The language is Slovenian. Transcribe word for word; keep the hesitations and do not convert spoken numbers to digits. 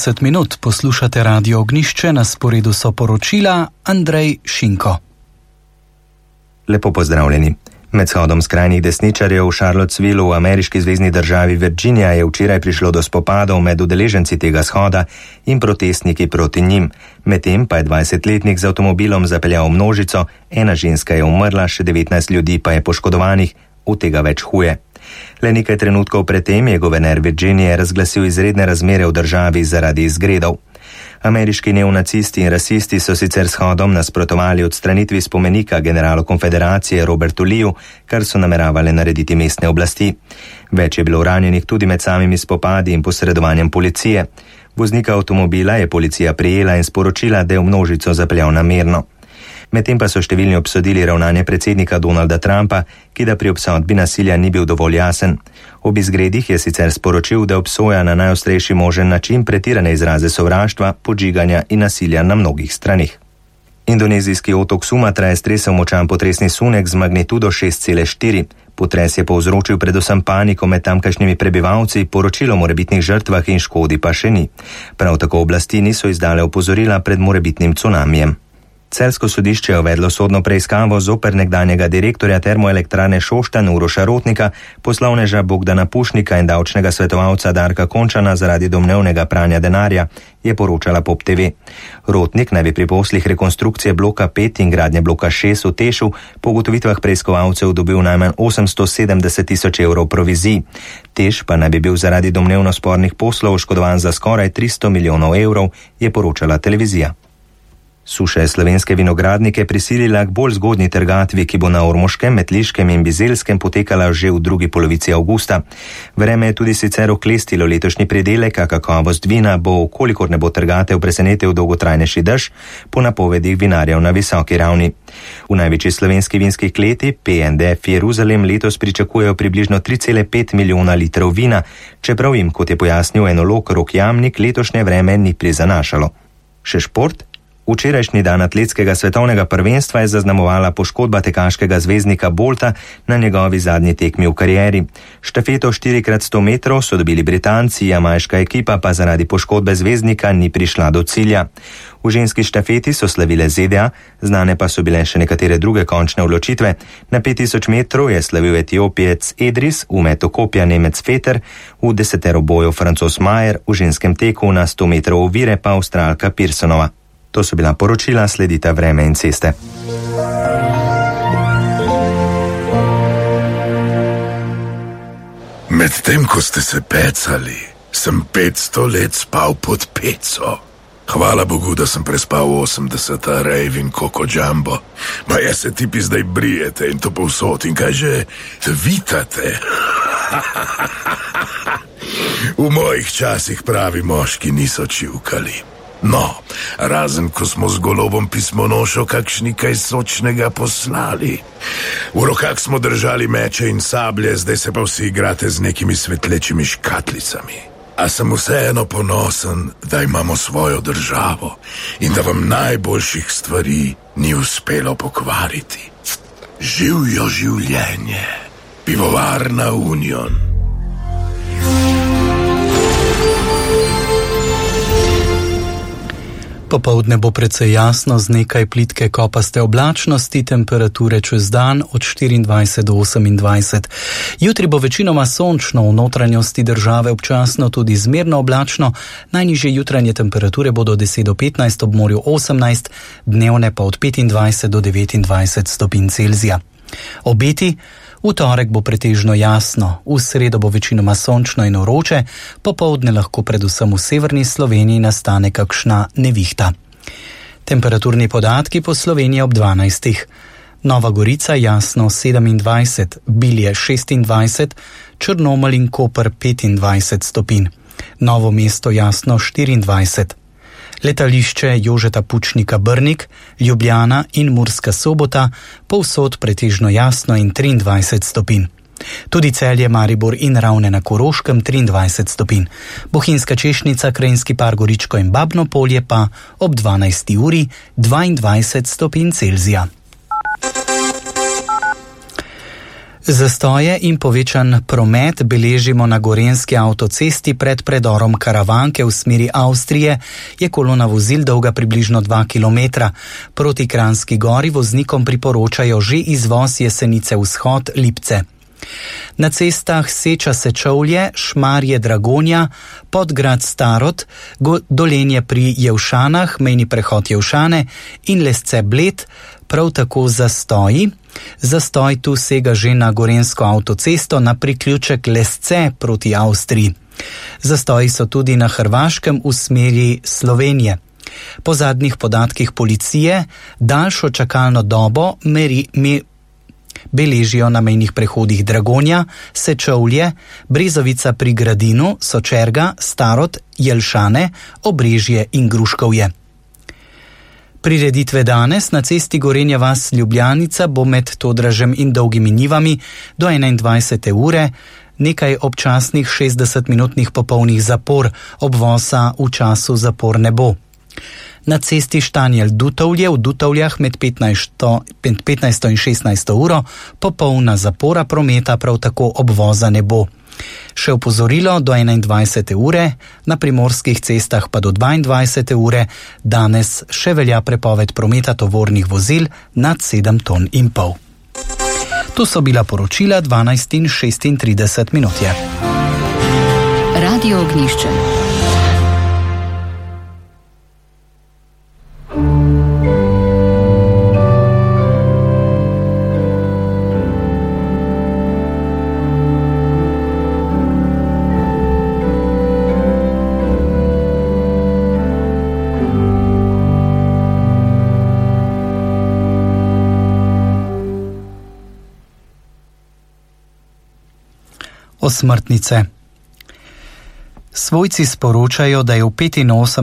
deset minut poslušate Radio Ognjišče, na sporedu so poročila Andrej Šinko. Lepo pozdravljeni. Med shodom skrajnih desničarjev v Charlottesvillu v ameriški zvezni državi Virginia je včeraj prišlo do spopadov med udeleženci tega shoda in protestniki proti njim. Medtem pa je dvajsetletnik z avtomobilom zapeljal množico, ena ženska je umrla, še devetnajst ljudi pa je poškodovanih, od tega več huje. Le nekaj trenutkov predtem je guverner Virginije razglasil izredne razmere v državi zaradi izgredov. Ameriški neonacisti in rasisti so sicer shodom nasprotovali odstranitvi spomenika generalu konfederacije Robertu Leeju, kar so nameravali narediti mestne oblasti. Več je bilo ranjenih tudi med samimi spopadi in posredovanjem policije. Voznika avtomobila je policija prijela in sporočila, da je v množico zapeljal namerno. Medtem pa so številni obsodili ravnanje predsednika Donalda Trumpa, ki da pri obsodbi nasilja ni bil dovolj jasen. Ob izgredih je sicer sporočil, da obsoja na najostrejši možen način pretirane izraze sovraštva, podžiganja in nasilja na mnogih stranih. Indonezijski otok Sumatra je stresel močan potresni sunek z magnitudo šest celih štiri. Potres je povzročil predvsem paniko med tamkajšnjimi prebivalci, poročilo o morebitnih žrtvah in škodi pa še ni. Prav tako oblasti niso izdale opozorila pred morebitnim cunamijem. Celjsko sodišče je uvedlo sodno preiskavo zoper nekdanjega direktorja termoelektrarne Šoštanj Uroša Rotnika, poslovneža Bogdana Pušnika in davčnega svetovalca Darka Končana zaradi domnevnega pranja denarja, je poročala Pop T V. Rotnik naj bi pri poslih rekonstrukcije bloka pet in gradnje bloka šest v Tešu po ugotovitvah preiskovalcev dobil najmanj osemsto sedemdeset tisoč evrov provizij. Teš pa naj bi bil zaradi domnevno spornih poslov oškodovan za skoraj tristo milijonov evrov, je poročala televizija. Suša je slovenske vinogradnike prisilila k bolj zgodnji trgatvi, ki bo na Ormoškem, Metliškem in Bizelskem potekala že v drugi polovici avgusta. Vreme je tudi sicer oklestilo letošnji pridelek, a kakovost vina bo, kolikor ne bo trgatev presenetil dolgotrajnejši dež, po napovedih vinarjev na visoki ravni. V največji slovenski vinski kleti P N D F Jeruzalem letos pričakujejo približno tri cele pet milijona litrov vina, čeprav jim, kot je pojasnil enolog Rok Jamnik, letošnje vreme ni prizanašalo. Še šport? Včerajšnji dan atletskega svetovnega prvenstva je zaznamovala poškodba tekaškega zvezdnika Bolta na njegovi zadnji tekmi v karieri. Štafeto štiri krat sto metrov so dobili Britanci, jamajška ekipa pa zaradi poškodbe zvezdnika ni prišla do cilja. V ženski štafeti so slavile Z D A, znane pa so bile še nekatere druge končne odločitve. Na pet tisoč metrov je slavil Etiopijec Edris, v metu kopja Nemec Feter, v deseteroboju Francoz Majer, v ženskem teku na sto metrov ovire pa Avstralka Pearsonova. To so bila poročila, sledita vreme in ceste. Medtem, ko ste se pecali, sem petsto let spal pod peco. Hvala Bogu, da sem prespal osemdeseta rejv in Koko Jumbo. Ma ja se tipi zdaj brijete in to povsod in kaj že vitate. V mojih časih pravi moški niso čivkali. No, razen ko smo z golobom pismonošo kakšni kaj sočnega poslali. V rokah smo držali meče in sablje, zdaj se pa vsi igrate z nekimi svetlečimi škatlicami. A sem vseeno ponosen, da imamo svojo državo in da vam najboljših stvari ni uspelo pokvariti. Živjo življenje, pivovarna Union. Popoldne bo precej jasno z nekaj plitke kopaste oblačnosti, temperature čez dan od štiriindvajset do osemindvajset. Jutri bo večinoma sončno, v notranjosti države občasno tudi zmerno oblačno, najnižje jutranje temperature bodo deset do petnajst, ob morju osemnajst, dnevne pa od petindvajset do devetindvajset stopinj Celzija. Obeti: v torek bo pretežno jasno, v sredo bo večinoma sončno in vroče, popoldne lahko predvsem v severni Sloveniji nastane kakšna nevihta. Temperaturni podatki po Sloveniji ob dvanajstih. Nova Gorica jasno sedemindvajset, Bilje šestindvajset, Črnomelj in Koper petindvajset stopinj. Novo mesto jasno štiriindvajset. Letališče Jožeta Pučnika Brnik, Ljubljana in Murska Sobota povsod pretežno jasno in triindvajset stopinj. Tudi Celje, Maribor in Ravne na Koroškem triindvajset stopinj. Bohinjska Češnica, Krajinski par Goričko in Babno Polje pa ob dvanajsti uri dvaindvajset stopinj Celzija. Zastoje in povečan promet beležimo na gorenjski avtocesti pred predorom Karavanke v smeri Avstrije, je kolona vozil dolga približno dva kilometra. Proti Kranjski gori voznikom priporočajo že izvoz Jesenice vzhod Lipce. Na cestah Seča Sečovlje, Šmarje Dragonja, Podgrad Starod, Dolenje pri Jevšanah, mejni prehod Jevšane in Lesce Bled, prav tako zastoji. Zastoj tu sega že na gorenjsko avtocesto na priključek Lesce proti Avstriji. Zastoji so tudi na Hrvaškem v smeri Slovenije. Po zadnjih podatkih policije daljšo čakalno dobo meri, me, beležijo na mejnih prehodih Dragonja, Sečovlje, Brezovica pri Gradinu, Sočerga, Starod, Jelšane, Obrežje in Gruškovje. Prireditve danes na cesti Gorenja vas Ljubljanica bo med Todražem in Dolgimi Nivami do enaindvajsete ure, nekaj občasnih šestdesetminutnih popolnih zapor, obvoza v času zapor ne bo. Na cesti Štanjel-Dutovlje v Dutovljah med petnajsto in šestnajsto uro popolna zapora prometa, prav tako obvoza ne bo. Še opozorilo do enaindvajsete ure, na primorskih cestah pa do dvaindvajsete ure, danes še velja prepoved prometa tovornih vozil nad sedem ton in pol. To so bila poročila dvanajst in šestintrideset minut je. Radio Ognjišče. Osmrtnice. Svojci sporočajo, da je v petinosemdesetih